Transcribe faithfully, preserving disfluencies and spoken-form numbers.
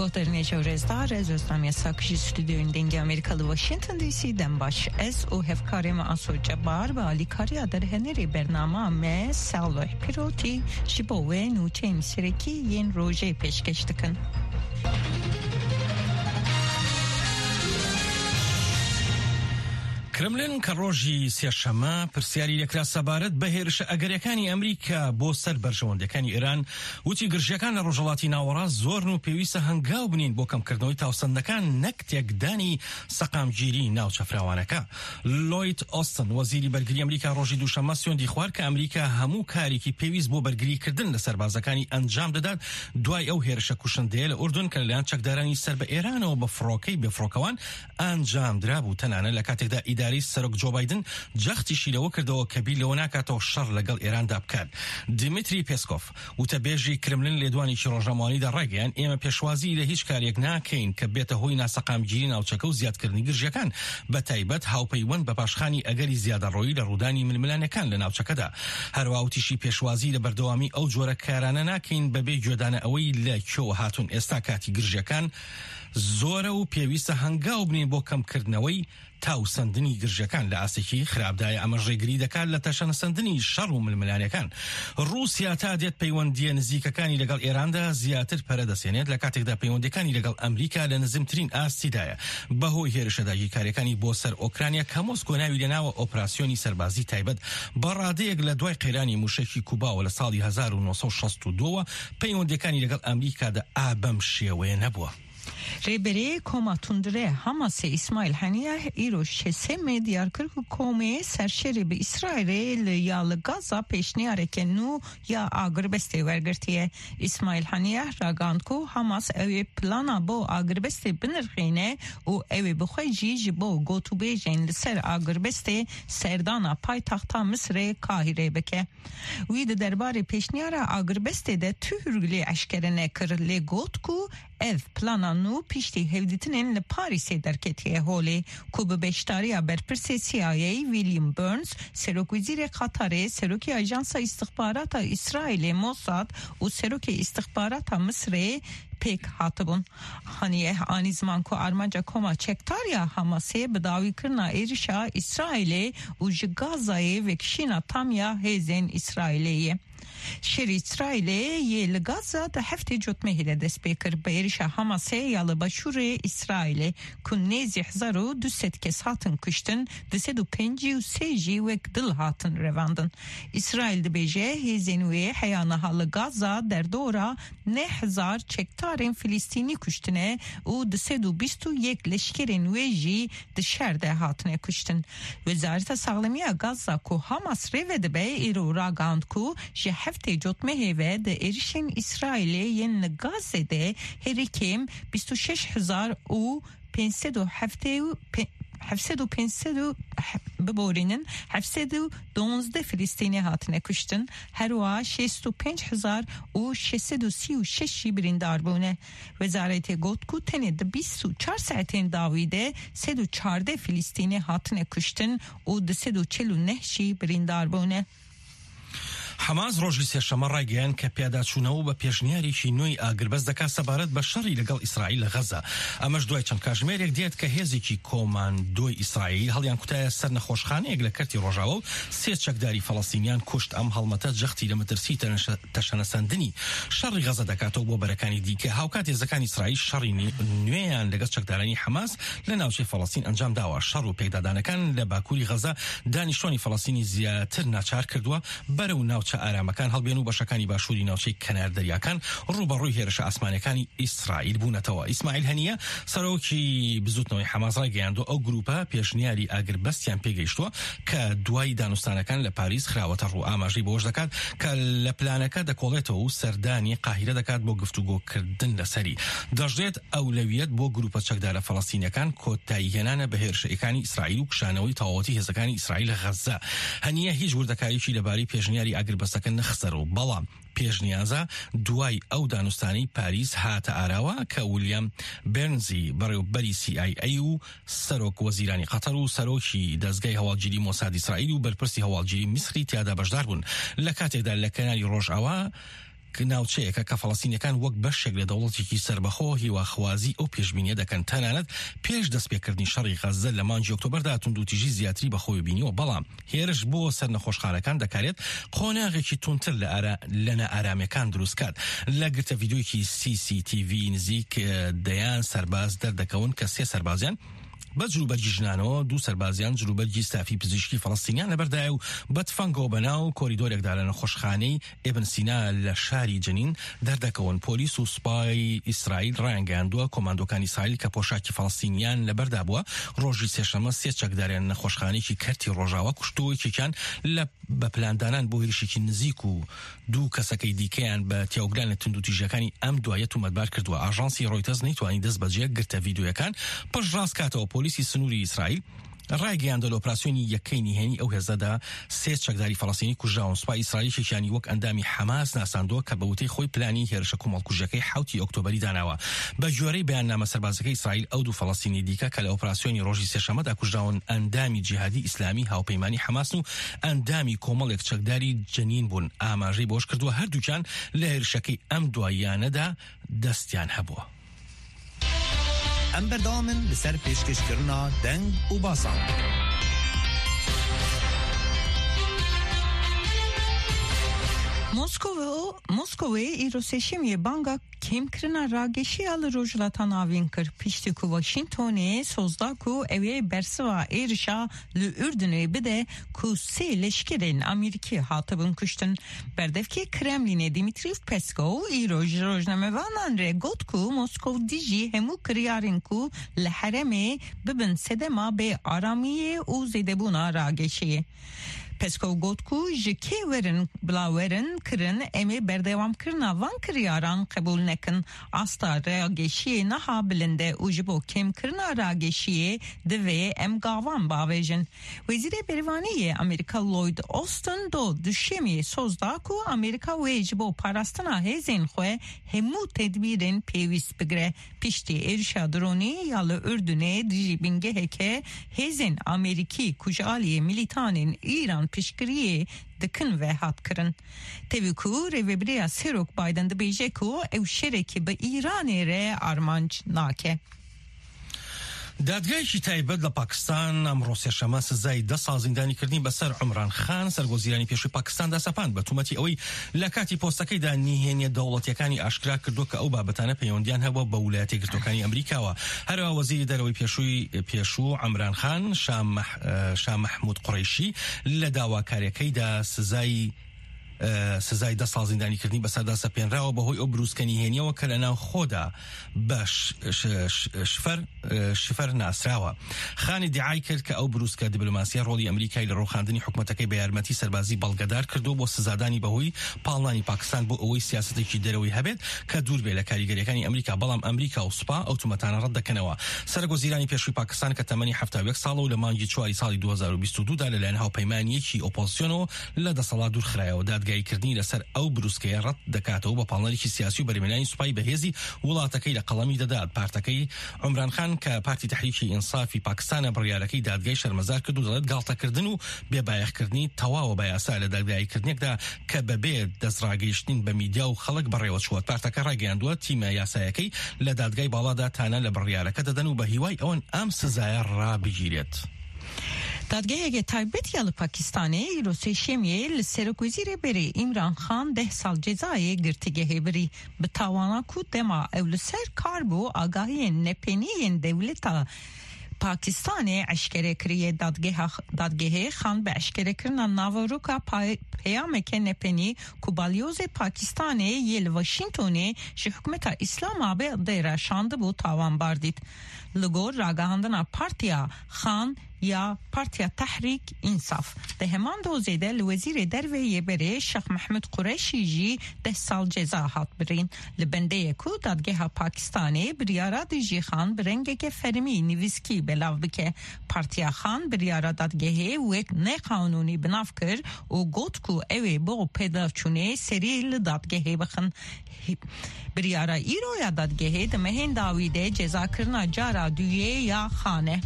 Guhdarên hêja û rêzdar, ez Özlem Yasak ji stûdyoyên Dengê Amerîka li Washington D C dem baş. Ez û hevkarê me Aso Cebar bi alîkariya derhenerê bernama me Salih Pirotî ji bo we nûçeyên serekî yên rojê pêşkêş dikin. کرملین کە ڕۆژی سێشەممە پرسیاری لێکرا سەبارەت بە هێرشە ئەگەریەکانی ئەمریکا بۆ سەر بەرژەوەندەکانی ئێران، وتی گرژیەکان لە ڕۆژهەڵاتی ناوەڕاست زۆرن و پێویستە هەنگاو بنین بۆ کەمکردنەوەی تاوسەندەکان، نەک تێکدانی سەقامگیری ناوچە فراوانەکە. لۆید ئۆستن، وەزیری بەرگری ئەمریکا، ڕۆژی دووشەممە سوێندی خوارد کە ئەمریکا هەموو کارێکی پێویست بۆ بەرگریکردن لە سەربازەکانی ئەنجام دەدات، دوای ئەو هێرشە کوشندەیە لە ئوردون کە لەلایەن چەکدارانی سەر بە ئێرانەوە بە فڕۆکەی بێفڕۆکەوان ئەنجام درابوو، تەنانەت لە کاتێکدا ئیدارەی سەرۆک جۆ بایدن جەختیشی لەوە کردەوە کە بیر لەوە ناکاتەوە شەڕ لەگەڵ ئێراندا بکات. دیمیتری پێسکۆف، وتەبێژی کرملین، لێدوانێکی ڕۆژنامەوانیدا ڕایگەیاند، ئێمە پێشوازی لە هیچ کارێک ناکەین کە بێتە هۆی ناسەقامگیری ناوچەکە و زیادکردنی گرژیەکان، بە تایبەت هاوپەیوەند بە پاشخانی ئەگەری زیادەڕۆیی لە ڕوودانی ململانێکان لە ناوچەکەدا. هەروەها وتیشی، پێشوازی لە بەردەوامی ئەو جۆرە کارانە ناکەین بەبێ گوێدانە ئەوەی لە کوێوە هاتوون. ئێستا کاتی گرژیەکان زۆرە و پێویستە هەنگاو بنین بۆ کەمکردنەوەی تاوسەندنی گرژەکان لە ئاستێکی خراپدایە. ئەمەش ڕێگری دەکات لە تەشەنەسەندنی شەڕ و ململانەکان. رووسیا تا دێت پەیوەندیە نزیکەکانی لەگەڵ ئێراندا زیاتر پەرە دەسێنێت، لە کاتێکدا پەیوەندیەکانی لەگەڵ ئەمریکا لە نزمترین ئاستیدایە. بەهۆی هێرشە داگیرکاریەکانی بۆ سەر ئۆکرانیا کە مۆسکۆ ناوی لەناوە ئۆپراسیۆنی سەربازی تایبەت، بە ڕادەیەک لە دوای قەیرانی موشەکی کوباوە لە ساڵی هەزار و نۆ سەد و شەست و دووەوە، پەیوەندیەکانی لەگەڵ ئەمریکادا ئابەم شێوەیە نەبووە. Rêberê Koma Tundre Hamasê Îsmaîl Haniyeh îro şesê me diyar kir ku komê serşêrê bi Îsraîlê li ya li Gaza pêşniyareke nû ya agirbestê wergirtiye. Îsmaîl Haniyeh ragihand ku Hamas ew ê plana bo agirbestê binirxîne û ew ê bi xwe jî ji bo gotûbêjên li ser agirbestê serdana paytaxta Misirê Kahîrê bike. Wî di derbarê pêşniyara agirbestê de tu hûrgilî eşkere nekir, lê got ku ev plana nû piştî hevdîtinên li Parîsê derketiye holê, ku bi beşdariya berpirsê C I A William Burns, serokwezîrê Qatarê, serokê Ajansa Îstixbarata Îsraîlê Mossad û serokê îstixbarata Misirê pêk hatibûn. Haniyeh anî ziman ku armanca koma çekdar ya Hamasê bi dawîkirina êrişa Îsraîlê û ji Gazayê vekişîna tam ya hêzên Îsraîlê ye. Şerê Îsraîlê yê li Gaza di heftê Cotmehê de dest pê kir. Bi êrişa Hamasê ya li başûrê Îsraîlê ku nêzî hezar û du sed kes hatin kuştin, du sed û pêncî û sê jî wek dil hatin revandin. Îsraîl dibêje hêzên wê heya niha li Gaza derdora neh hezar çekdarên Filistînî kuştine û du sed û bîst û yek leşkerên wê jî di şer de hatine kuştin. Wezareta Saxlemiya Gaza ku Hamas rê vedibe, îro ragihand ku ji heftê Cotmehê ve di êrişên Îsraîlê yên li Gazê de herî kêm bîst û şeş hezar û pênc sed û heftê û pê-, heft sed û pênc sed û, biborînin, heft sed û duwazdeh Filistînî hatine kuştin, herwiha şêst û pênc hezar û şeş sed û sî û şeş jî birîndar bûne. Wezaretê got ku tenê di bîst û çar saetên dawî de sed û çardeh Filistînî hatine kuştin û du sed û çil û neh jî birîndar bûne. حەماس ڕۆژی سێشەممە ڕایگەیاند کە پیاداچوونەوە بە پێشنیارێکی نوێی ئاگربەست دەکات سەبارەت بە شەڕی لەگەڵ ئیسرائیل لە غەزە. ئەمەش دوای چەند کاژمێرێک دێت کە هێزێکی کۆماندۆی ئیسرائیل هەڵیان کوتایە سەر نەخۆشخانەیەک لە کەرتی ڕۆژاوە و سێ چەکداری فەڵەستینیان کوشت. ئەم هەڵمەتە جەختی لە مەترسی تەنەشە-، تەشەنەسەندنی شەڕی غەزە دەکاتەوە بۆ بەرەکانی دیکە. هاوکات هێزەکانی ئیسرائیل شەڕی نی-، نوێیان لەگەڵ چەکدارانی حەماس لە ناوچەی فەڵەستین ئەنجام داوە. شەڕ و پێکدادانەکان لە باکووری غەزە دانیشتوانی فەڵەستینی زیاتر ناچار کردووە بەرەو ناوچە ئارامەکان هەڵبێن و بەشەکانی باشووری ناوچەی کەنار دەریاکان ڕوبەڕووی هێرشە ئاسمانیەکانی ئیسرائیل بوونەتەوە. ئیسماعیل هەنیە، سەرۆکی بزوتنەوەی حەماس، ڕایگەیاندووە ئەو گروپە پێشنیاری ئاگربەستیان پێگەیشتووە کە دوای دانوستانەکان لە پاریس خراوەتە ڕوو. ئاماژەی بۆش دەکات کە لە پلانەکە دەکۆڵێتەوە و سەردانی قاهیرە دەکات بۆ گفتوگۆکردن لەسەری. دەژێت ئەولەویەت بۆ گروپە چەکدارە فەڵەستینیەکان کۆتایی هێنانە بە هێرشەکانی ئیسرائیل و کشانەوەی تەواوەتی هێزەکانی ئیسرائیل لە غەزە. هەنیە هیچ وردەکاریشی لەبارەی پێشنیاری ئاگربەستەکە نەخسەر و بەڵام پێشنیازە دوای ئەو دانوستانەی پاریس هاتە ئاراوە کە ویلیام بێرنزی، بەڕێوەبەری C I A و سەرۆک وەزیرانی قەتەر و سەرۆکی دەستگای هەواڵگیری مۆساد ئیسرائیل و بەرپرسی هەواڵگیری میسری تیادا بەشدار بوون. لە کاتێکدا لە کەناری ڕۆژئاوا ناوچەیەکە کە فەڵەستینیەکان وەک بەشێک لە دەوڵەتێکی سەربەخۆ هیواخوازی ئەو پێشبینیە دەکەن، تەنانەت پێش دەستپێکردنی شەڕی غەززە لە مانگی ئۆکتۆبەردا توندوتیژی زیاتری بەخۆی بینیوە، بەڵام هێرش بۆ سەر نەخۆشخانەکان دەکارێت قۆناغێکی توندتر لە ئارا-، لە نائارامیەکان دروست کات. لە گرتە ڤیدیۆیەکی سی سی تی ڤی نزیک، ئە، دەیان سەرباز دەردەکەون کە سێ سەربازیان بە جلوبەرگی ژنانەوە، دوو سەربازیان جلوبەرگی ستافی پزیشکی فەڵەستینیان لەبەردایە و بە تفەنگەوە بەناو کۆریدۆرێکدا لە نەخۆشخانەی ئیبن سینا لە شاری جنین دەردەکەون. پۆلیس و سوپای ئیسرائیل ڕایانگەیاندووە کۆماندۆکانی ئیسرائیل کە پۆشاکی فەڵەستینیان لەبەردا بووە، ڕۆژی سێشەممە سێ چەکداریان نەخۆشخانەیەکی کەرتی ڕۆژاوا کوشتووە، یەکێکیان لە بە پلاندانان بۆ هێرشێکی نزیک و دوو کەسەکەی دیکەیان بە تیاوگران لە توندوتیژیەکانی ئەم دوایە تومەتبار کردووە. ئاژانسی ڕۆیتەرز نەیتوانی دەست بەجێ گرتە ڤیدیۆیەکان پشتڕاست کاتەوە. پۆلیسی سنووری ئیسرائیل ڕایگەیاندە لە ئۆپراسیۆنی یەکەی نهێنی ئەو هێزەدا سێ چەکداری فەڵەستینی کوژراون. سوپای ئیسرائیل یەکێکیانی وەک ئەندامی حەماس ناساندووە کە بە وتەی خۆی پلانی هێرشە کۆمەڵکوژیەکەی حەوتی ئۆکتۆبەری داناوە. بە گوێرەی بەیاننامە سەربازەکەی ئیسرائیل، ئەو دوو فەڵەستینی دیکە کە لە ئۆپراسیۆنی ڕۆژی سێشەممەدا کوژراون ئەندامی جیهادی ئیسلامی هاوپەیمانی حەماسن و ئەندامی کۆمەڵێک چەکداری جەنین بوون. ئاماژەی بۆش کردووە هەردووکیان لە هێرشەکەی ئەم دواییانەدا دەستیان هەبووە. ئەم بەردەوامن لەسەر پێشکەشکردنا دەنگ و باسان. Moskova, Moskova îro sêşemiyê banga kêmkirina rageşiya li Rojhilata Navîn kir, piştî ku Washingtonê soz da ku ew ê bersiva êrişa li Urdunê bide ku sê leşkerên Amerîkî hatibin kuştin. Berdevkê Kremlînê Dmitry Peskov îro ji rojnamevanan re got ku Moskov dijî hemû kiryarên ku li herêmê bibin sedema bê aramiyê û zêdebûna rageşiyê. Peskov got ku ji kê werin bila werin kirin, em ê berdewamkirina van kiryaran qebûl nekin. Asta rageşiyê niha bilind e û ji bo kêmkirina rageşiyê divê em gavan bavêjin. Wezîrê Bervanî yê Amerîka Lloyd Austin do Duşemê soz da ku Amerîka wê ji bo parastina hêzên xwe hemû tedbîrên pêwîst bigire. Piştî êrişa dronî ya li Urdunê dijî bingeheke hêzên Amerîkî ku ji aliyê milîtanên Îran piştgiriyê dikin ve hat kirin. Tevî ku rêvebiriya Serok Biden dibêje ku ew şerekî bi Îranê re armanc nake. دادگایەکی تایبەت لە پاکستان ئەمڕۆ سێشەممە سزای دە ساڵ زیندانیکردنی بەسەر عمران خان، سەرگۆزیرانی پێشووی پاکستاندا سەپاند، بە تومەتی ئەوەی لە کاتی پۆستەکەیدا نهێنیە دەوڵەتیەکانی ئاشکرا کردووە کە ئەو بابەتانە پەیوەندیان هەبووە بە ویلایەتە یەکگرتووەکانی ئەمریکاوە. هەروە وەزیری دەرەوەی پێشووی، پێشوو عمران خان، شاه مەح-، شاه مەحموود قوڕەیشی، لە داواکاریەکەیدا سزای، سزای دە ساڵ زیندانیکردنی بەسەردا سەپێنراوە بەهۆی ئەو بروسکە نهێنیەوە کە لە ناوخۆدا بە ش-، ش-، ش-، شفەر، شفەر ناسراوە. خانی دیعای کرد کە ئەو بروسکە دیبلۆماسیە ڕۆڵی ئەمریکای لە ڕووخاندنی حکومەتەکەی بە یارمەتی سەربازی بەڵگەدار کردووە بۆ سزادانی بەهۆی پاڵنانی پاکستان بۆ ئەوەی سیاسەتێکی دەرەوەی هەبێت کە دوور بێ لە کاریگەریەکانی ئەمریکا، بەڵام ئەمریکا و سوپا ئەو تومەتانە ڕەت دەکەنەوە. سەرۆک وەزیرانی پێشووی پاکستان کە تەمەنی حەفتا و یەک ساڵە و لە مانگی چواری ساڵی دوو هەزار و بیست و دوو دا لەلایەن هاوپەیمانیەکی ئۆپۆزیسیۆنەوە لە دەسەڵات دوور خرایەوە، دادگاییکردنی لەسەر ئەو بروسکەیە ڕەت دەکاتەوە، بە پاڵنەرێکی سیاسی و بەرمێنانی سوپای بەهێزی وڵاتەکەی لە قەڵەمی دەدات. پارتەکەی عمران خان کە پارتی تەحریکی ئینسافی پاکستانە، بڕیارەکەی دادگای شەرمەزار کرد و دەڵێت گاڵتەکردن و بێبایەخکردنی تەواوە بە یاسا لە دادگاییکردنێکدا کە بەبێ دەستڕاگەیشتن بە میدیا و خەڵک بەڕێوە چووە. پارتەکە ڕایگەیاندووە تیمە یاسایەکەی لە دادگای باڵادا تانە لە بڕیارەکە دەدەن و بە هیوای ئەوەن ئەم سزایە ڕابگیرێت. Dadgeheke taybet ya li Pakistanê îro sêşemiyê li serokwezîrê berê Îmran Xan deh sal cezayê girtîgehê birî, bi tawana ku dema ew li ser kar bû, agahiyên nepenî yên dewleta Pakistanê eşkere kiriye. Dadgeha, dadgehê Xan bi eşkerekirina naveroka pay-, peyameke nepenî ku balyozê Pakistanê yê li Washingtonê ji hikûmeta Îslamabadê re şandibû tawanbar dît. Li gor ragihandina partiya Xan ya Partiya Tehrîk Însaf, di heman dozê de li Wezîrê Derve yê berê Şêx Mehmûd Qureşî jî deh sal ceza hat birîn. Li bendê ye ku Dadgeha Pakistanê biryara dijî Xan bi rengeke fermî nivîskî belav bike. Partiya Xan biryara dadgehê wek neqanûnî bi nav kir û got ku ew ê bo pêdaçûnê serî li dadgehê bixin. Biryara îro ya dadgehê di mehên dawî de cezakirina cara duyê ya Xan e.